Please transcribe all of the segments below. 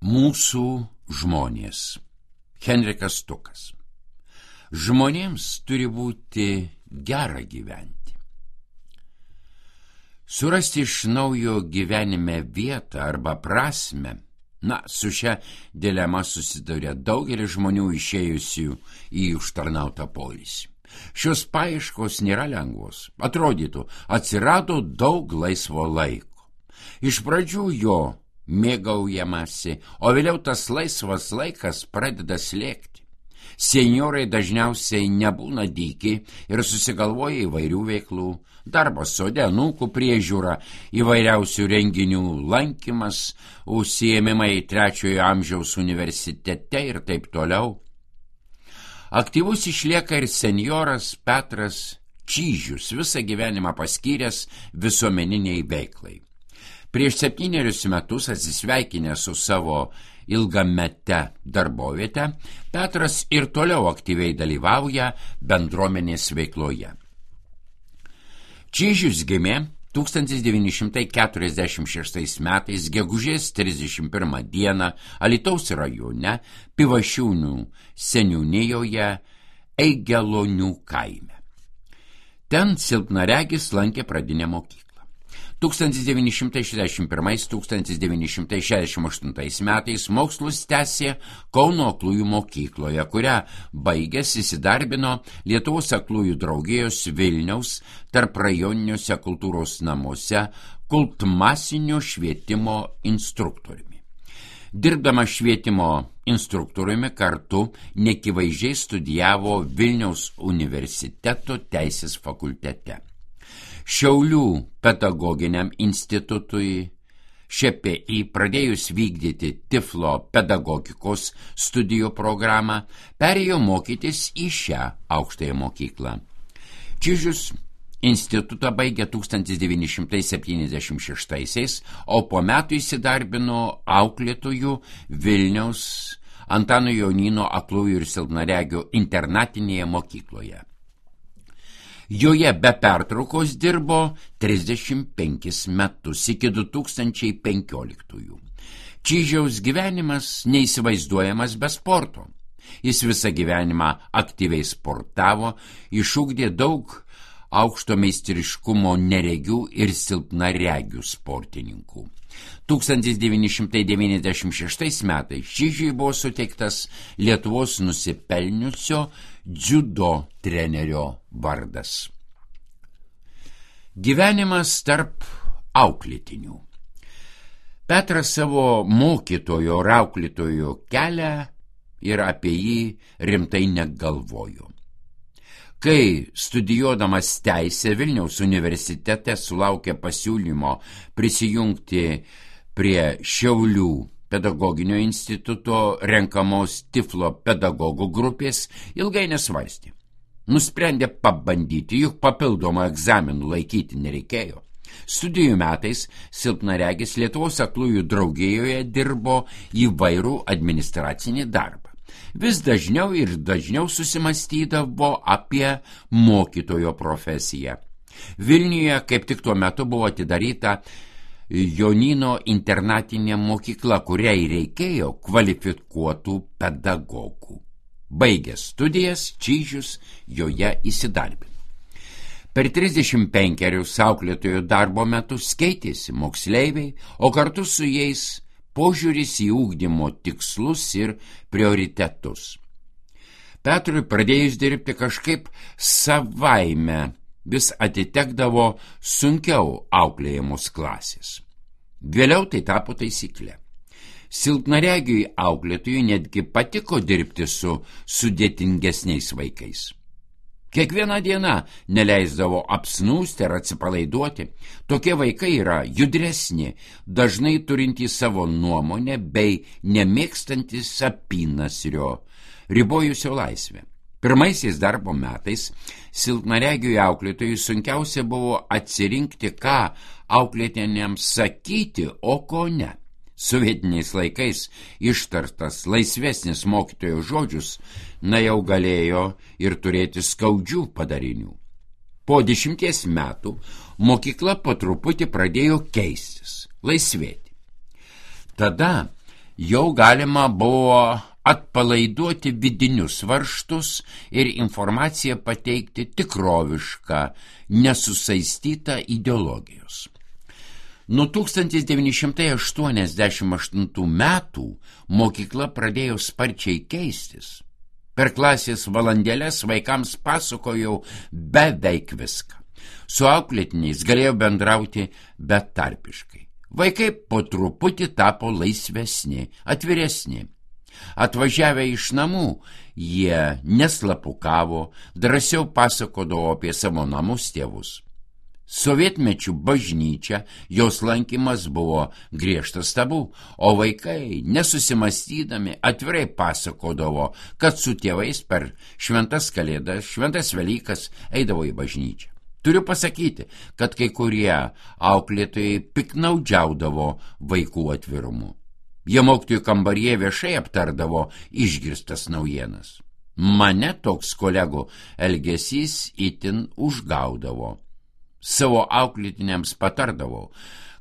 Mūsų žmonės. Henrikas Stukas. Žmonėms turi būti gera gyventi. Surasti iš naujo gyvenime vietą arba prasmę, su šia dilema susiduria daugelis žmonių išėjusių į užtarnautą poilsį. Šios paieškos nėra lengvos. Atrodytų, atsirado daug laisvo laiko. Iš pradžių jo mėgaujamasi, o vėliau tas laisvas laikas pradeda slėgti. Senjorai dažniausiai nebūna dyki ir susigalvoja įvairių veiklų. Darbas sode, anūkų priežiūra, įvairiausių renginių lankymas, užsiėmimai 3-ojo amžiaus universitete ir taip toliau. Aktyvus išlieka ir senjoras Petras Čyžius, visą gyvenimą paskyręs visuomeniniai veiklai. Prieš 7 metus atsisveikinęs su savo ilgamete darboviete, Petras ir toliau aktyviai dalyvauja bendruomenės veikloje. Čyžius gimė 1946 metais gegužės 31 dieną Alytaus rajone Pivašiūnų seniūnijoje Eigelonių kaime. Ten silpnaregis lankė pradinę mokyklą. 1961–1968 metais mokslus tęsė Kauno aklųjų mokykloje, kurią baigęs įsidarbino Lietuvos aklųjų draugijos Vilniaus tarprajoniniuose kultūros namuose kultmasinio švietimo instruktoriumi. Dirbdama švietimo instruktoriumi kartu neakivaizdžiai studijavo Vilniaus universiteto teisės fakultete. Šiaulių pedagoginiam institutui ŠPI pradėjus vykdyti Tiflo pedagogikos studijų programą, perėjo mokytis į šią aukštąją mokyklą. Čyžius institutą baigė 1976, o po metų įsidarbino auklėtojų Vilniaus Antano Jonyno aklųjų ir silpnaregių internatinėje mokykloje. Joje be pertraukos dirbo 35 metus iki 2015. Čyžiaus gyvenimas neįsivaizduojamas be sporto. Jis visą gyvenimą aktyviai sportavo, išugdė daug aukšto meistriškumo neregių ir silpnaregių sportininkų. 1996 metais Čyžiui buvo suteiktas Lietuvos nusipelniusio dziudo trenerio vardas. Gyvenimas tarp auklėtinių. Petras savo mokytojo ir auklėtojo kelią ir apie jį rimtai negalvojo. Kai studijuodamas teisę Vilniaus universitete sulaukė pasiūlymo prisijungti prie Šiaulių pedagoginio instituto renkamos Tiflo pedagogų grupės, ilgai nesvarstė. Nusprendė pabandyti, juk papildomą egzaminų laikyti nereikėjo. Studijų metais silpnaregis Lietuvos aklųjų draugijoje dirbo įvairų administracinį darbą. Vis dažniau ir dažniau susimastydavo apie mokytojo profesiją. Vilniuje kaip tik tuo metu buvo atidaryta Jonyno internatinė mokykla, kuriai reikėjo kvalifikuotų pedagogų. Baigęs studijas, Čyžius joje įsidarbino. Per 35 auklėtojų darbo metus keitėsi moksleiviai, o kartu su jais požiūris į ugdymo tikslus ir prioritetus. Petrui pradėjus dirbti kažkaip savaime vis atitekdavo sunkiau auklėjamos klasės. Vėliau tai tapo taisyklė. Silpnaregiui auklėtojui netgi patiko dirbti su sudėtingesniais vaikais. Kiekvieną dieną neleisdavo apsnūsti ar atsipalaiduoti. Tokie vaikai yra judresni, dažnai turintys savo nuomonę bei nemėgstantys apynasrio, ribojusio laisvę. Pirmaisiais darbo metais silpnaregiui auklėtojui sunkiausia buvo atsirinkti, ką auklėtiniams sakyti, o ko ne. Sovietiniais laikais ištartas laisvesnis mokytojo žodžius jau galėjo ir turėti skaudžių padarinių. Po 10 metų mokykla po truputį pradėjo keistis, laisvėti. Tada Jau galima buvo atpalaiduoti vidinius varžtus ir informaciją pateikti tikrovišką, nesusaistytą ideologijos. Nuo 1988 metų mokykla pradėjo sparčiai keistis. Per klasės valandėlės vaikams pasakojau beveik viską. Su auklėtiniais galėjau bendrauti betarpiškai. Vaikai po truputį tapo laisvesni, atviresni. Atvažiavę iš namų, jie neslapukavo, drąsiau pasakodavo apie savo namus tėvus. Sovietmečių bažnyčia, jos lankymas buvo griežtas tabu, o vaikai, nesusimastydami, atvirai pasakodavo, kad su tėvais per šventas kalėdas, šventas Velykas eidavo į bažnyčią. Turiu pasakyti, kad kai kurie auklėtojai piknaudžiaudavo vaikų atvirumu. Jie mokytojų kambaryje viešai aptardavo išgirstas naujienas. Mane toks kolegų elgesys itin užgaudavo. Savo auklėtiniams patardavau,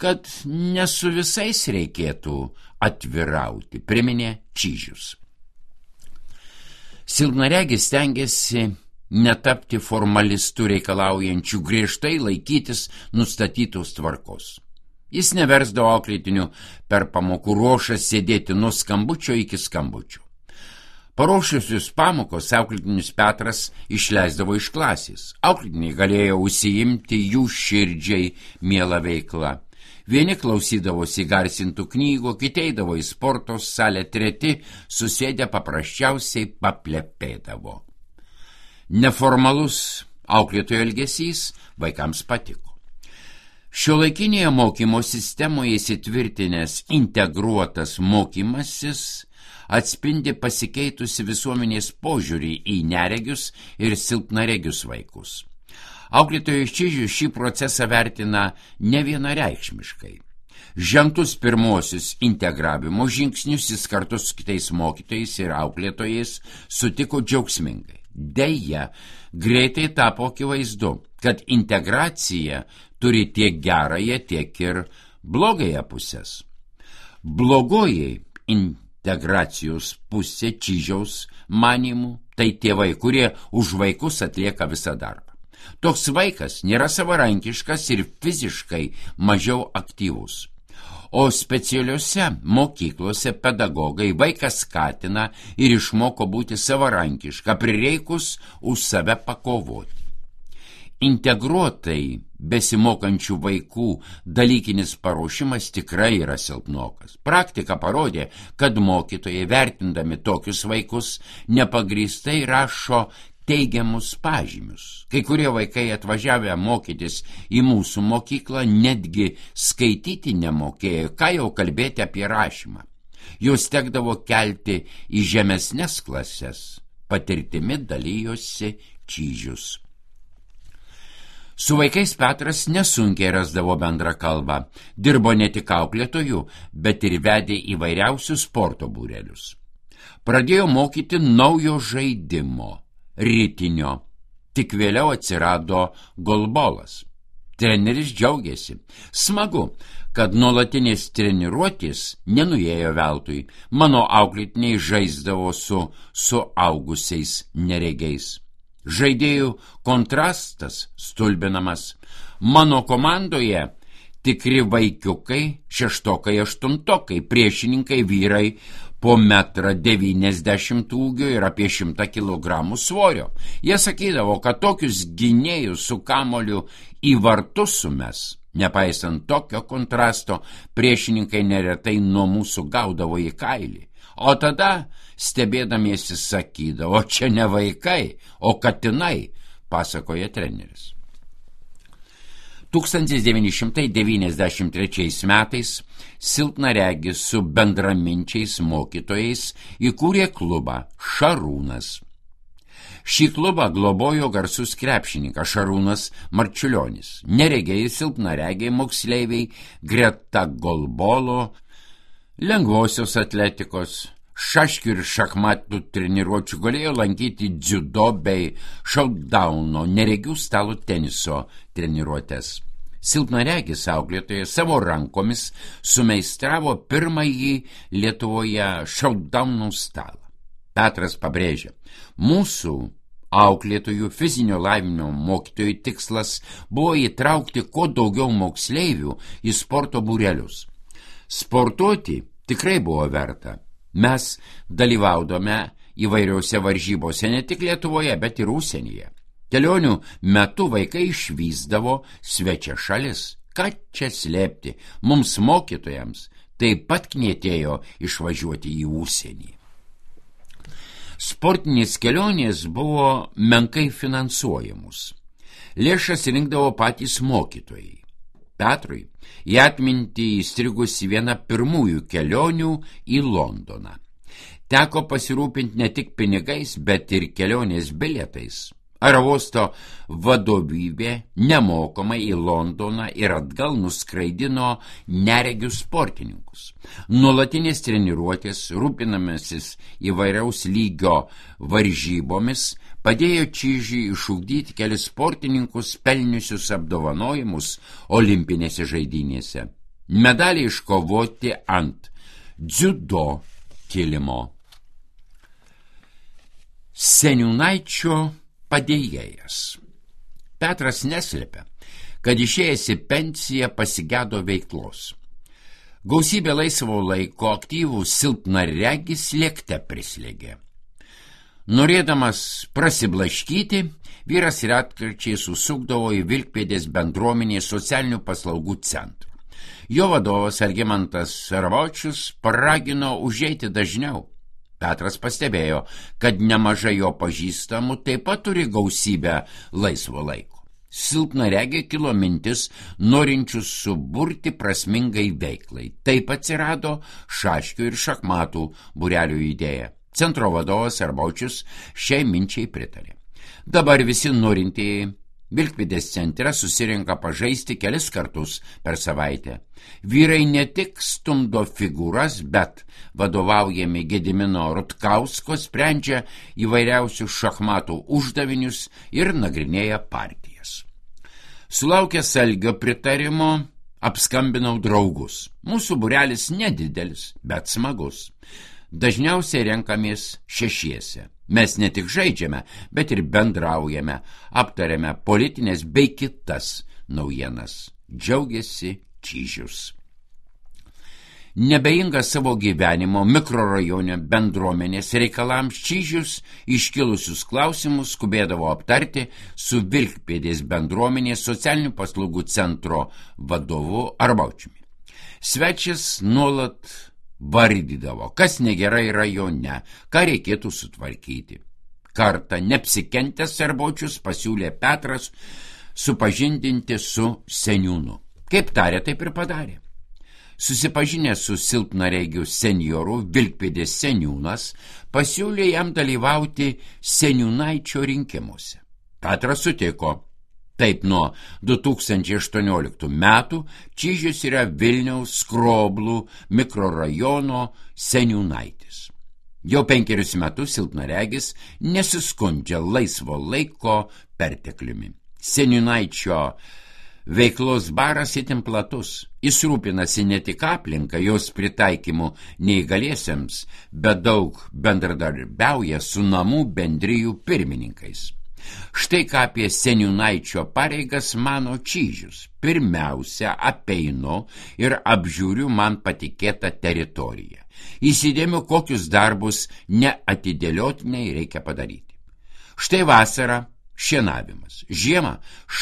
kad ne su visais reikėtų atvirauti, priminė Čyžius. Silpnaregis stengiasi netapti formalistų reikalaujančių griežtai laikytis nustatytos tvarkos. Jis neversdavo auklėtinių per pamokų ruošą sėdėti nuo skambučio iki skambučio. Paruošusius pamokos auklėtinius Petras išleisdavo iš klasės. Auklėtiniai galėjo užsiimti jų širdžiai mielą veiklą. Vieni klausydavosi garsintų knygų, kiti eidavo į sporto salę, treti susėdę paprasčiausiai paplepėdavo. Neformalus auklėtojo elgesys vaikams patiko. Šiuolaikinėje mokymo sistemoje įsitvirtinęs integruotas mokymasis atspindi pasikeitusi visuomenės požiūrį į neregius ir silpnaregius vaikus. Auklėtojas Čyžius šį procesą vertina nevienareikšmiškai. Žengtus pirmosius integravimo žingsnius jis kartu su kitais mokytojais ir auklėtojais sutiko džiaugsmingai. Deja, greitai tapo akivaizdu, kad integracija turi tiek gerąją, tiek ir blogąją pusės. Blogoji integracijos pusė Čyžiaus manymų tai tėvai, kurie už vaikus atlieka visą darbą. Toks vaikas nėra savarankiškas ir fiziškai mažiau aktyvus. O specialiuose mokyklose pedagogai vaiką skatina ir išmoko būti savarankišką, prireikus už save pakovoti. Integruotai besimokančių vaikų dalykinis paruošimas tikrai yra silpnokas. Praktika parodė, kad mokytojai vertindami tokius vaikus nepagrįstai rašo teigiamus pažymius. Kai kurie vaikai atvažiavę mokytis į mūsų mokyklą netgi skaityti nemokėjo, ką jau kalbėti apie rašymą. Juos tekdavo kelti į žemesnes klases. Patirtimi dalyjosi Čyžius. Su vaikais Petras nesunkiai rasdavo bendrą kalbą. Dirbo ne tik auklėtojų, bet ir vedė įvairiausius sporto būrelius. Pradėjo mokyti naujo žaidimo – ritinio. Tik vėliau atsirado golbolas. Treneris džiaugiasi. Smagu, kad nuolatinės treniruotės nenuėjo veltui. Mano auklėtiniai žaisdavo su suaugusiais neregiais. Žaidėjų kontrastas stulbinamas. Mano komandoje tikri vaikiukai, šeštokai, aštuntokai, priešininkai vyrai po 1,90 m ūgio ir apie 100 kg svorio. Jie sakydavo, kad tokius gynėjus su kamoliu į vartus sumes. Nepaisant tokio kontrasto, priešininkai neretai nuo mūsų gaudavo į kailį. O tada, stebėdamiesi, sakydavo, čia ne vaikai, o katinai, pasakoja treneris. 1993 metais silpnaregis su bendraminčiais mokytojais įkūrė klubą Šarūnas. Šį klubą globojo garsus krepšininkas Šarūnas Marčiulionis. Neregiai silpnaregiai moksleiviai greta golbolo, lengvosios atletikos, šaškių ir šachmatų treniruočių galėjo lankyti dziudo bei šautdauno, neregių stalo teniso treniruotės. Silpnaregis auklėtojas savo rankomis sumeistravo pirmąjį Lietuvoje šaudaunų stalą. Petras pabrėžia, mūsų auklėtojų fizinio lavinimo mokytojų tikslas buvo įtraukti kuo daugiau moksleivių į sporto būrelius. Sportuoti tikrai buvo verta. Mes dalyvaudome įvairiausiose varžybose ne tik Lietuvoje, bet ir užsienyje. Kelionių metu vaikai išvysdavo svečia šalis. Ką čia slėpti, mums mokytojams taip pat knietėjo išvažiuoti į užsienį. Sportinės kelionės buvo menkai finansuojamos. Lėšas rinkdavo patys mokytojai. Petrui į atmintį įstrigusi viena pirmųjų kelionių į Londoną. Teko pasirūpinti ne tik pinigais, bet ir kelionės bilietais. Aerouosto vadovybė nemokamai į Londoną ir atgal nuskraidino neregius sportininkus. Nuolatinės treniruotės, rūpinamasis įvairiaus lygio varžybomis, padėjo Čižiui išugdyti kelis sportininkus pelniusius apdovanojimus olimpinėse žaidynėse. Medaliai iškovoti ant dziudo kilimo. Seniūnaičio padėjėjas. Petras neslėpia, kad išėjęs į pensiją pasigėdo veiklos. Gausybė laisvo laiko aktyvų silpnaregis lėkte prislėgė. Norėdamas prasiblaškyti, vyras retkarčiais susukdavo į Vilkpėdės bendruomenės socialinių paslaugų centrą. Jo vadovas Algimantas Sarvočius paragino užeiti dažniau. Petras pastebėjo, kad nemažai jo pažįstamų taip pat turi gausybę laisvo laiko. Silpnaregė kilo mintis norinčius suburti prasmingai veiklai. Taip atsirado šaškių ir šachmatų būrelių idėja. Centro vadovas Sarvočius šiai minčiai pritarė. Dabar visi norintieji Vilkpėdės centre susirenka pažaisti kelis kartus per savaitę. Vyrai ne tik stumdo figūras, bet vadovaujami Gedimino Rutkausko sprendžia įvairiausius šachmatų uždavinius ir nagrinėja partijas. Sulaukęs Algio pritarimo, apskambinau draugus. Mūsų būrelis nedidelis, bet smagus. Dažniausiai renkamės šešiese. Mes ne tik žaidžiame, bet ir bendraujame, aptariame politinės bei kitas naujienas. Džiaugiasi Čižius. Nebeinga savo gyvenimo mikrorajone bendruomenės reikalams, Čižius iškilusius klausimus skubėdavo aptarti su Vilkpėdės bendruomenės socialinių paslaugų centro vadovu Arbaučiumi. Svečias nuolat vardydavo, kas negerai rajone, ką reikėtų sutvarkyti. Kartą neapsikentęs Sarvočius pasiūlė Petras supažindinti su seniūnu. Kaip tarė, taip ir padarė. Susipažinęs su silpnaregiu senjoru, Vilkpėdės seniūnas pasiūlė jam dalyvauti seniūnaičio rinkimuose. Petras sutiko. Taip, nuo 2018 metų Čižius yra Vilniaus Skroblų mikrorajono seniūnaitis. Jau 5 metus silpnaregis nesiskundžia laisvo laiko pertekliumi. Seniūnaičio veiklos baras itin platus. Jis rūpinasi ne tik aplinką, jos pritaikymu neįgaliesiems, bet daug bendradarbiauja su namų bendrijų pirmininkais. Štai ką apie seniūnaičio pareigas mano Čižius. Pirmiausia, apeinu ir apžiūriu man patikėtą teritoriją. Įsidėmiu, kokius darbus neatidėliotinai reikia padaryti. Štai vasara šienavimas, žiemą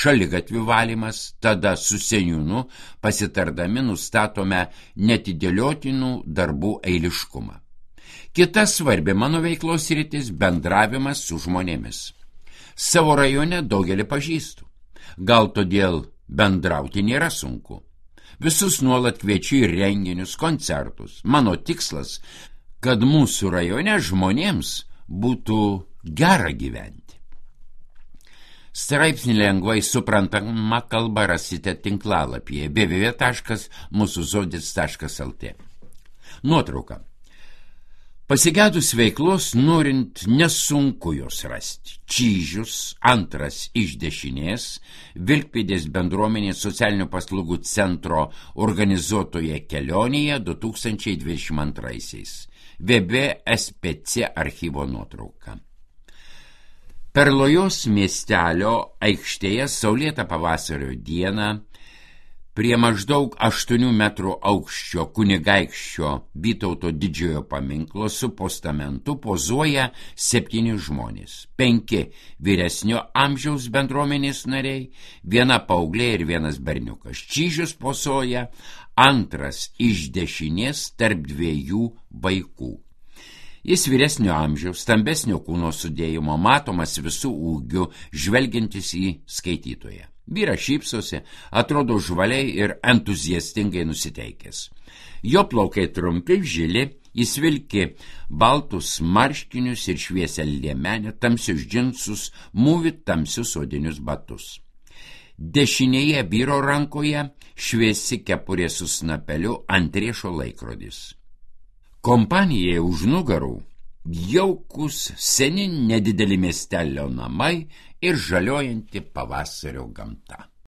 šaligatvių valymas, tada su seniūnu pasitardami nustatome neatidėliotinų darbų eiliškumą. Kita svarbi mano veiklos sritis – bendravimas su žmonėmis. Savo rajone daugelį pažįstu. Gal todėl bendrauti nėra sunku. Visus nuolat kviečiu į renginius, koncertus. Mano tikslas, kad mūsų rajone žmonėms būtų gera gyventi. Straipsnį lengvai suprantama kalba rasite tinklalapyje www.musuzodis.lt. Nuotrauka. Pasigedus veiklos, norint nesunku jos rasti. Čyžius, antras iš dešinės, Vilkpėdės bendruomenės socialinių paslaugų centro organizuotoje kelionėje 2022. VB-SPC archyvo nuotrauka. Perlojos miestelio aikštėje saulėtą pavasario dieną prie maždaug 8 metrų aukščio kunigaikščio Vytauto didžiojo paminklo su postamentu pozuoja 7 žmonės. 5 vyresnio amžiaus bendruomenės nariai, 1 paauglė ir 1 berniukas. Čyžius pozuoja antras iš dešinės tarp 2 vaikų. Jis vyresnio amžiaus, stambesnio kūno sudėjimo, matomas visų ūgių, žvelgiantis į skaitytoją. Vyras šypsosi, atrodo žvaliai ir entuziastingai nusiteikęs. Jo plaukai trumpi, žili, jis vilki baltus marškinius ir šviesią liemenę, tamsius džinsus, mūvi tamsius odinius batus. Dešinėje vyro rankoje šviesi kepurė su snapeliu, ant riešo laikrodis. Kompanijai už nugarų jaukus seni nedideli miestelio namai ir žaliojanti pavasario gamta.